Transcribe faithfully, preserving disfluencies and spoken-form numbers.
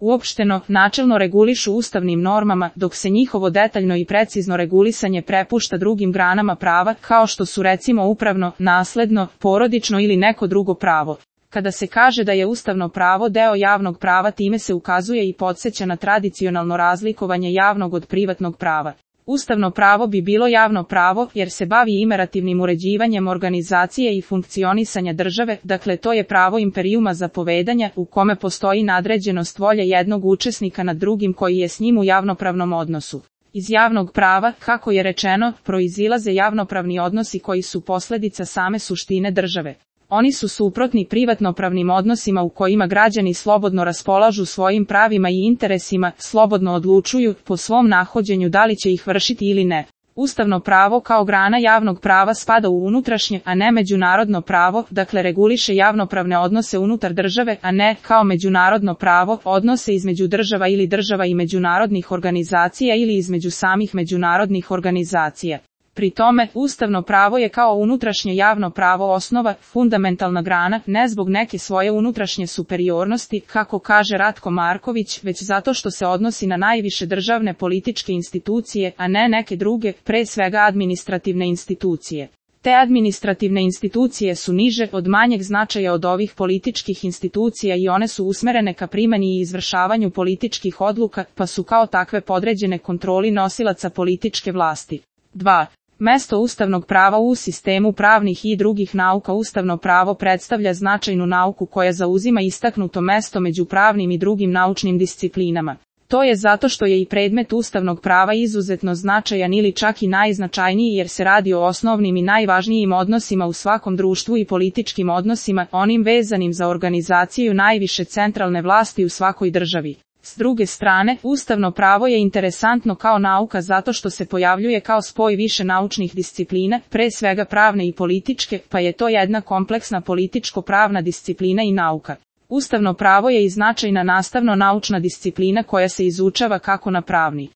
uopšteno, načelno regulišu ustavnim normama, dok se njihovo detaljno i precizno regulisanje prepušta drugim granama prava, kao što su recimo upravno, nasledno, porodično ili neko drugo pravo. Kada se kaže da je ustavno pravo deo javnog prava, time se ukazuje i podsjeća na tradicionalno razlikovanje javnog od privatnog prava. Ustavno pravo bi bilo javno pravo, jer se bavi imperativnim uređivanjem organizacije i funkcionisanja države, dakle to je pravo imperijuma zapovedanja, u kome postoji nadređenost volje jednog učesnika nad drugim koji je s njim u javnopravnom odnosu. Iz javnog prava, kako je rečeno, proizilaze javnopravni odnosi koji su posljedica same suštine države. Oni su suprotni privatnopravnim odnosima u kojima građani slobodno raspolažu svojim pravima i interesima, slobodno odlučuju po svom nahođenju da li će ih vršiti ili ne. Ustavno pravo kao grana javnog prava spada u unutrašnje, a ne međunarodno pravo, dakle reguliše javnopravne odnose unutar države, a ne, kao međunarodno pravo, odnose između država ili država i međunarodnih organizacija ili između samih međunarodnih organizacija. Pri tome, ustavno pravo je kao unutrašnje javno pravo osnova, fundamentalna grana, ne zbog neke svoje unutrašnje superiornosti, kako kaže Ratko Marković, već zato što se odnosi na najviše državne političke institucije, a ne neke druge, pre svega administrativne institucije. Te administrativne institucije su niže, od manjeg značaja od ovih političkih institucija i one su usmerene ka primani i izvršavanju političkih odluka, pa su kao takve podređene kontroli nosilaca političke vlasti. dva. Mesto ustavnog prava u sistemu pravnih i drugih nauka. Ustavno pravo predstavlja značajnu nauku koja zauzima istaknuto mesto među pravnim i drugim naučnim disciplinama. To je zato što je i predmet ustavnog prava izuzetno značajan ili čak i najznačajniji, jer se radi o osnovnim i najvažnijim odnosima u svakom društvu i političkim odnosima, onim vezanim za organizaciju najviše centralne vlasti u svakoj državi. S druge strane, ustavno pravo je interesantno kao nauka zato što se pojavljuje kao spoj više naučnih disciplina, pre svega pravne i političke, pa je to jedna kompleksna političko-pravna disciplina i nauka. Ustavno pravo je i značajna nastavno-naučna disciplina koja se izučava kako na pravni,